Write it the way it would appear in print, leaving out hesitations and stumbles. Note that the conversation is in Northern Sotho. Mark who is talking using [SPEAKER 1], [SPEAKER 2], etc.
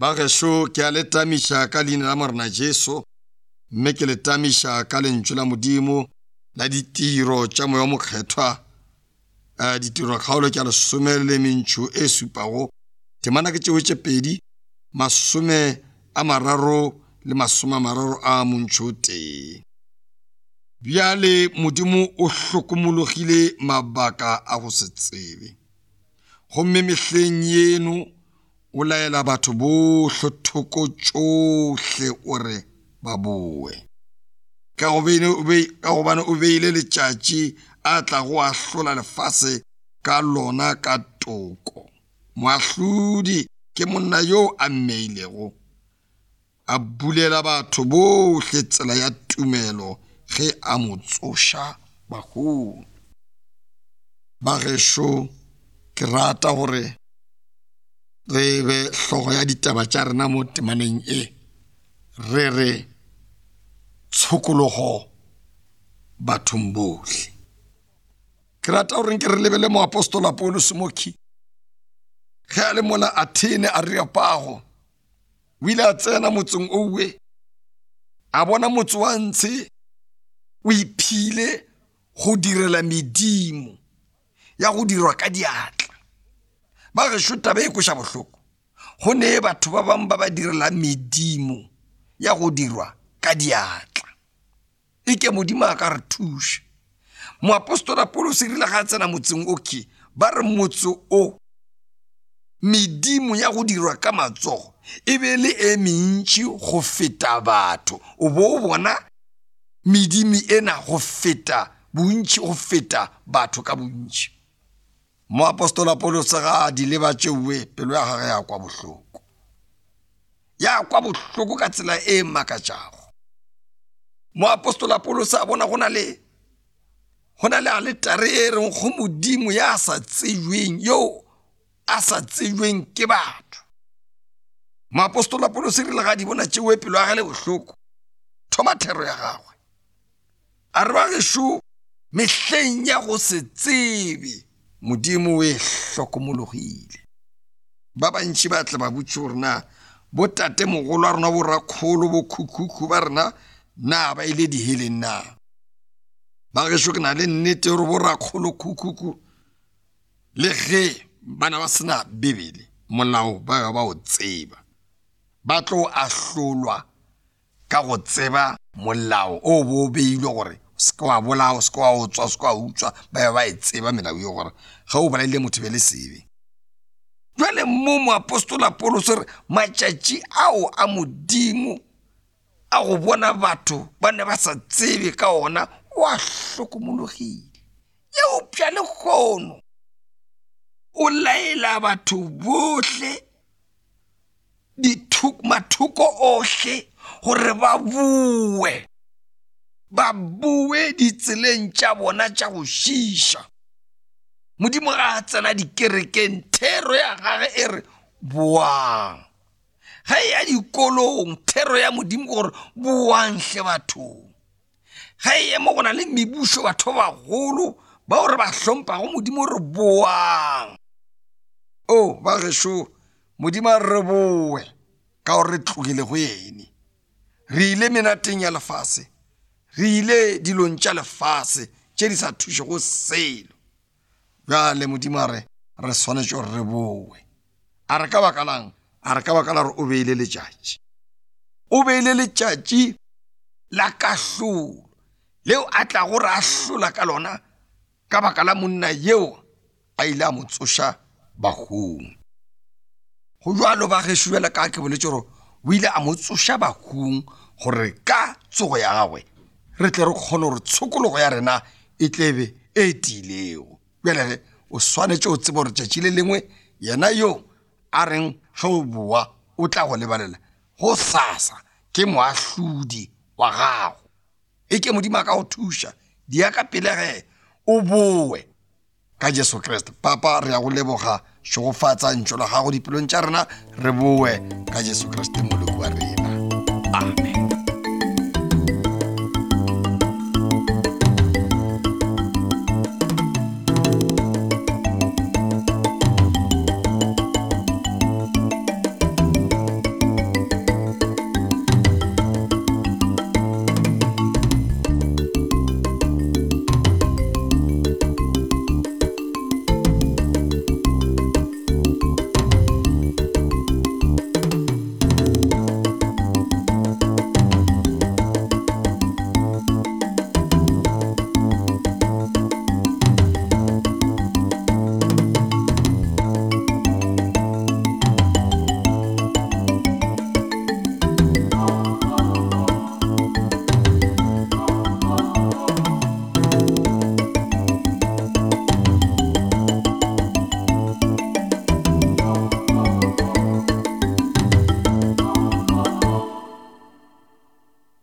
[SPEAKER 1] Ba gešo, ke a le tamiša ka leina la Morena Jesu, mme ke le tamiša ka lentšu la Modimo la ditiro tša Moya o Mokgethwa. Eh, ditiro kgaolo ke a lesome le mentšho e supago, temana ke tšeo tše pedi, 30 le 31. Bjale Modimo o hlokomologile mabaka a go se tsebe. Gomme mehleng yeno o laela batho bohle thoko tšohle o re ba boe. Ka gobane o beile letšatši a tlago ahlola lefase ka lona ka toko. Moahlodi ke monna yo a mmeilego, a bulela batho bohle tsela ya tumelo ge a mo tsoša bahung. Bagešo, ke rata gore re be hlogo ya ditaba tša rena mo temaneng e, re re tshokologo bathong bohle. Ke rata gore nke re lebele moapostola Paulus mokhi ge a le mola Athene Areopago, o ile a tsena motseng owe, a bona motse wa ntshe o iphile go direla medimo ya go dirwa ka diatla. Ba gešo taba e kweša bohloko, go ne batho ba bangwe ba ba direla medimo ya go dirwa ka diatla. E ke Modimo a ka re thuša. Moapostola Paulus e rile ga a tsena motseng oke, ba re motse o medimo ya go dirwa ka matsogo e be le e mentši go feta batho. O bo o bona medimo ena go feta bontši, go feta batho ka bontši. Moapostola Paulus ga a di leba tšeoe, pelo ya gagwe ya kwa bohloko. Ya kwa bohloko ka tsela e makatšago. Moapostola Paulus a bona go na le go na le aletare e reng go Modimo ya sa tsejweng, yo a sa tsejweng ke batho. Moapostola Paulus e rile ga di bona tšeoe, pelo ya gagwe le bohloko, thoma thero ya gagwe. A re ba gešo mehleng ya go se tsebe Modimo o e hlokomologile. Ba bantši ba tle ba botše gore na botatemogolo a rena, borakgolo, bokhukhukhu ba rena na ba ile diheleng na. Ba gešo ke na le nnete gore borakgolo khukhukhu le ge bana ba sena Bibele, molao ba ba o tseba, ba tlo ahlolwa ka go tseba molao o bo o beilwe gore o se ke wa bolaya, o se ke wa otswa, o se ke wa utswa, ba be ba e tseba melao eo gore ge o bolaile motho be le sebe. Jwale mo moapostola Paulus re matšatši ao a Modimo a go bona batho ba ne ba sa tsebe ka ona o a hlokomologile. Eupša lehono o laela batho bohle mathoko ohle gore ba boe, ba boe ditseleng tša bona tša go šiiša. Modimo ga a tsena dikerekeng, thero ya gage e re boang. Ge e ya dikolong, thero ya Modimo ke gore boang hle bathong. Ge e ema go na le mebušo, batho ba bagolo bao re ba hlompago, Modimo re boang. O ba gešo, Modimo a re boe ka gore re tlogile go ene. Re ile menateng ya lefase, re ile dilong tša lefase tše di sa thušego selo. Bjale Modimo a re re swanetše gore re boe. A re ka baka lang? A re ka baka la gore o beile letšatši. O beile letšatši la kahlolo leo a tlago re ahlola ka lona ka baka la monna yeo a ile a mo tsoša bahung. Go bjalo ba gešo bjale ka ke boletše gore o ile a mo tsoša bahung gore ka tsogo ya gagwe re tle re kgone gore tshokologo ya rena e tlebe e tiilego. Bjale ge o swanetše o tseba gore tšatši le lengwe yena yo a reng ge o boa o tla go lebalela go sasa ke moahlodi wa gago. E ke Modimo a ka go thuša dia ka pele ge o boe ka Jesu Kriste. Papa, re ya go leboga, šegofatsa ntšo la gago dipelong tša rena, re boe ka Jesu Kriste moloko wa rena. Amen.